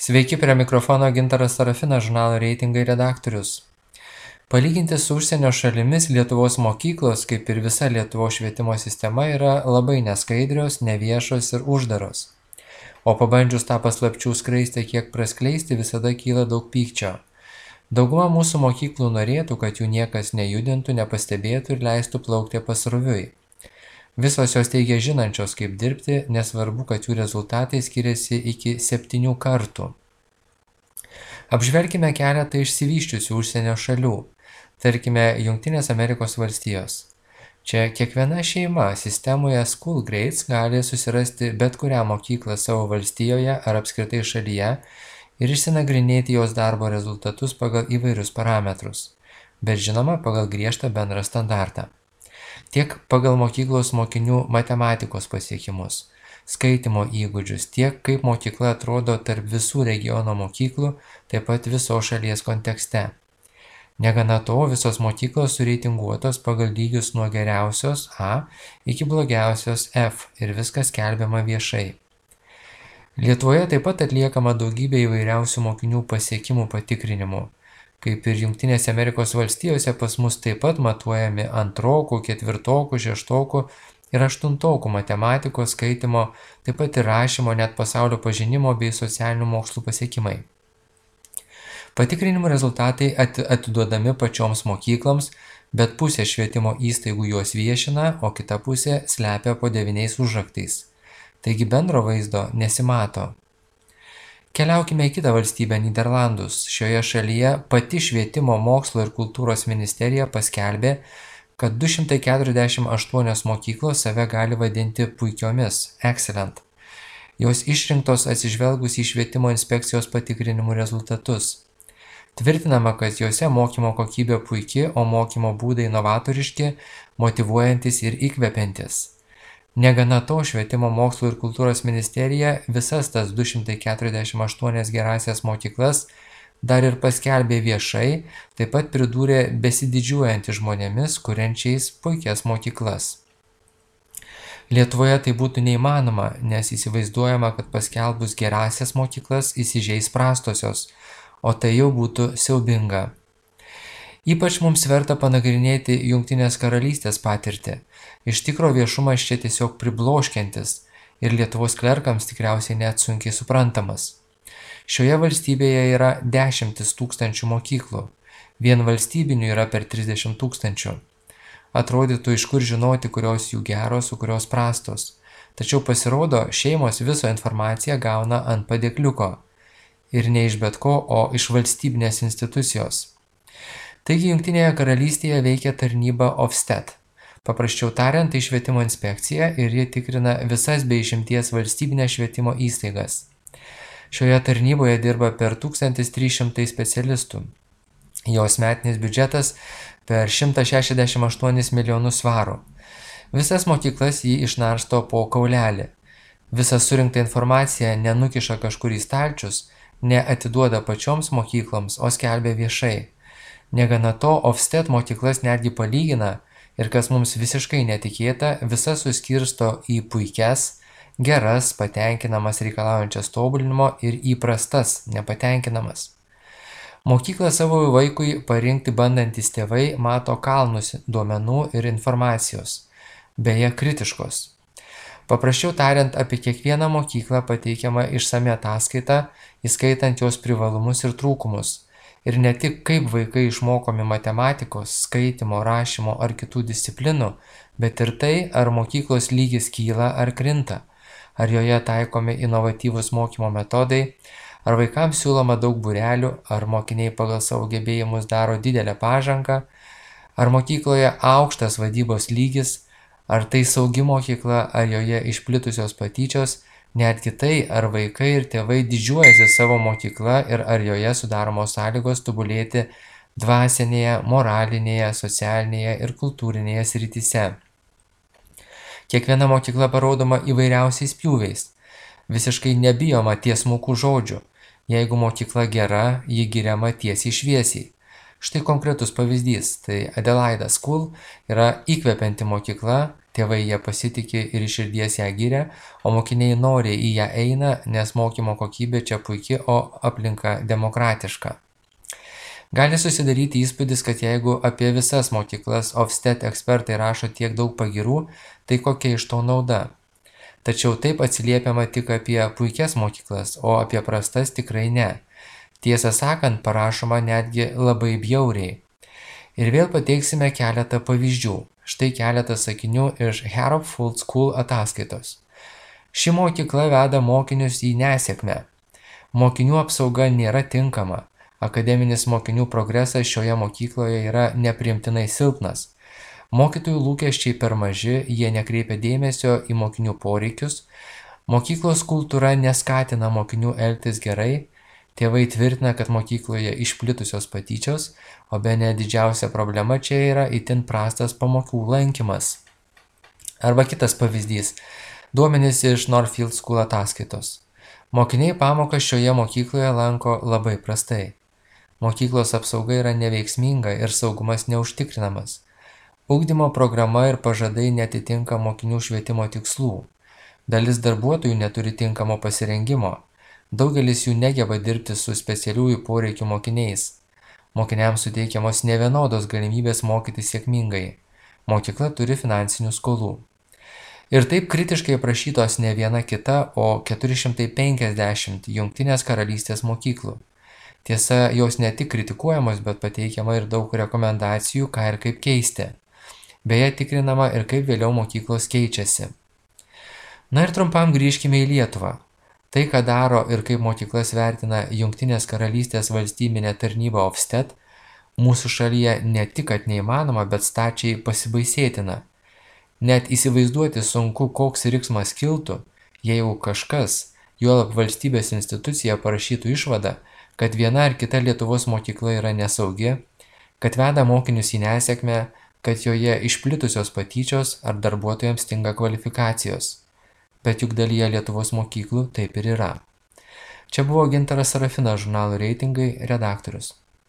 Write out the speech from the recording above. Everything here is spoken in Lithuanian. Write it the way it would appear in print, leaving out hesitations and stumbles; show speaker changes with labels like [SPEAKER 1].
[SPEAKER 1] Sveiki, prie mikrofono Gintaras Sarafinas, žurnalo reitingai redaktorius. Palyginti su užsienio šalimis Lietuvos mokyklos, kaip ir visa Lietuvos švietimo sistema, yra labai neskaidrios, neviešos ir uždaros. O pabandžius tą paslapčių skraistę kiek praskleisti, visada kyla daug pykčio. Dauguma mūsų mokyklų norėtų, kad jų niekas nejudintų, nepastebėtų ir leistų plaukti pasroviui. Visos jos teigia žinančios, kaip dirbti, nesvarbu, kad jų rezultatai skiriasi iki 7 kartų. Apžvelkime keletą išsivysčiusių užsienio šalių. Tarkime, Jungtinės Amerikos valstijos. Čia kiekviena šeima sistemoje School Grades gali susirasti bet kurią mokyklą savo valstijoje ar apskritai šalyje ir išsinagrinėti jos darbo rezultatus pagal įvairius parametrus, bet žinoma pagal griežtą bendrą standartą. Tiek pagal mokyklos mokinių matematikos pasiekimus, skaitimo įgūdžius, tiek kaip mokykla atrodo tarp visų regiono mokyklų, taip pat visos šalies kontekste. Negana to, visos mokyklos sureitinguotos pagal lygius nuo geriausios A iki blogiausios F ir viskas skelbiama viešai. Lietuvoje taip pat atliekama daugybė įvairiausių mokinių pasiekimų patikrinimų. Kaip ir Jungtinėse Amerikos valstijose, pas mus taip pat matuojami antrokų, ketvirtokų, šeštokų ir aštuntokų matematikos, skaitimo, taip pat ir rašymo, net pasaulio pažinimo bei socialinių mokslų pasiekimai. Patikrinimų rezultatai atiduodami pačioms mokykloms, bet pusė švietimo įstaigų juos viešina, o kita pusė slepia po 9 užraktais. Taigi bendro vaizdo nesimato. Keliaukime į kitą valstybę, Nyderlandus. Šioje šalyje pati švietimo, mokslo ir kultūros ministerija paskelbė, kad 248 mokyklos save gali vadinti puikiomis, excellent. Jos išrinktos atsižvelgus į švietimo inspekcijos patikrinimų rezultatus. Tvirtinama, kad juose mokymo kokybė puiki, o mokymo būdai novatoriški, motyvuojantis ir įkvepiantis. Negana to, švietimo, mokslo ir kultūros ministerija visas tas 248 gerąsias mokyklas dar ir paskelbė viešai, taip pat pridūrė besididžiuojantys žmonėmis, kuriančiais puikias mokyklas. Lietuvoje tai būtų neįmanoma, nes įsivaizduojama, kad paskelbus gerąsias mokyklas įsižeis prastosios, o tai jau būtų siaubinga. Ypač mums verta panagrinėti Jungtinės karalystės patirtį. Iš tikro viešumas čia tiesiog pribloškiantis ir Lietuvos klerkams tikriausiai net sunkiai suprantamas. Šioje valstybėje yra 10 000 mokyklų, vien valstybinių yra per 30 000. Atrodytų, iš kur žinoti, kurios jų geros, o kurios prastos. Tačiau pasirodo, šeimos visą informaciją gauna ant padėkliuko. Ir ne iš bet ko, o iš valstybinės institucijos. Taigi Jungtinėje karalystėje veikia tarnyba Ofsted. Paprasčiau tariant, tai švietimo inspekcija ir ji tikrina visas be išimties valstybinės švietimo įstaigas. Šioje tarnyboje dirba per 1300 specialistų. Jos metinis biudžetas per 168 milijonus svarų. Visas mokyklas jį išnarsto po kaulelį. Visą surinktą informaciją nenukiša kažkur į stalčius, neatiduoda pačioms mokykloms, o skelbia viešai. Negana to, Ofsted mokyklas netgi palygina ir, kas mums visiškai netikėta, visas suskirsto į puikias, geras, patenkinamas reikalaujančias tobulinimo ir įprastas, nepatenkinamas. Mokyklą savo vaikui parinkti bandantis tėvai mato kalnus duomenų ir informacijos, beje kritiškos. Paprasčiau tariant, apie kiekvieną mokyklą pateikiama išsami ataskaita, įskaitant jos privalumus ir trūkumus. Ir ne tik kaip vaikai išmokomi matematikos, skaitimo, rašymo ar kitų disciplinų, bet ir tai, ar mokyklos lygis kyla ar krinta, ar joje taikomi inovatyvūs mokymo metodai, ar vaikams siūloma daug būrelių, ar mokiniai pagal savo gebėjimus daro didelę pažangą, ar mokykloje aukštas vadybos lygis, ar tai saugi mokykla, ar joje išplitusios patyčios, netgi tai, ar vaikai ir tėvai didžiuojasi savo mokykla ir ar joje sudaromos sąlygos tobulėti dvasinėje, moralinėje, socialinėje ir kultūrinėje srityse. Kiekviena mokykla parodoma įvairiausiais pjūviais. Visiškai nebijoma tiesmukų žodžių. Jeigu mokykla gera, ji giriama tiesiai šviesiai. Štai konkretus pavyzdys. Tai Adelaide School yra įkvepianti mokykla, Tėvai jie pasitikė ir iš širdies ją giria, o mokiniai noriai į ją eina, nes mokymo kokybė čia puikia, o aplinka demokratiška. Gali susidaryti įspūdis, kad jeigu apie visas mokyklas Ofsted ekspertai rašo tiek daug pagyrų, tai kokia iš to nauda? Tačiau taip atsiliepiama tik apie puikias mokyklas, o apie prastas tikrai ne. Tiesą sakant, parašoma netgi labai bjauriai. Ir vėl pateiksime keletą pavyzdžių. Štai keletas sakinių iš Harrop Full School ataskaitos. Ši mokykla veda mokinius į nesėkmę. Mokinių apsauga nėra tinkama. Akademinis mokinių progresas šioje mokykloje yra nepriimtinai silpnas. Mokytojų lūkesčiai per maži, jie nekreipia dėmesio į mokinių poreikius. Mokyklos kultūra neskatina mokinių elgtis gerai. Tėvai tvirtina, kad mokykloje išplitusios patyčios, o bene didžiausia problema čia yra itin prastas pamokų lankymas. Arba kitas pavyzdys. Duomenys iš Northfield School ataskaitos. Mokiniai pamokas šioje mokykloje lanko labai prastai. Mokyklos apsauga yra neveiksminga ir saugumas neužtikrinamas. Ugdymo programa ir pažadai netitinka mokinių švietimo tikslų. Dalis darbuotojų neturi tinkamo pasirengimo. Daugelis jų negeba dirbti su specialiųjų poreikių mokiniais. Mokiniams suteikiamos nevienodos galimybės mokytis sėkmingai. Mokykla turi finansinių skolų. Ir taip kritiškai aprašytos ne viena kita, o 450 Jungtinės karalystės mokyklų. Tiesa, jos ne tik kritikuojamos, bet pateikiama ir daug rekomendacijų, ką ir kaip keisti. Beje, tikrinama ir kaip vėliau mokyklos keičiasi. Na ir trumpam grįžkime į Lietuvą. Tai, ką daro ir kaip mokyklas vertina Jungtinės karalystės valstybinė tarnyba Ofsted, mūsų šalyje ne tik kad neįmanoma, bet stačiai pasibaisėtina. Net įsivaizduoti sunku, koks riksmas kiltų, jeigu kažkas, juolab valstybės institucija parašytų išvadą, kad viena ar kita Lietuvos mokykla yra nesaugi, kad veda mokinius į nesėkmę, kad joje išplitusios patyčios ar darbuotojams stinga kvalifikacijos. Bet juk dalyje Lietuvos mokyklų taip ir yra. Čia buvo Gintaras Sarafinas, žurnalo Reitingai redaktorius.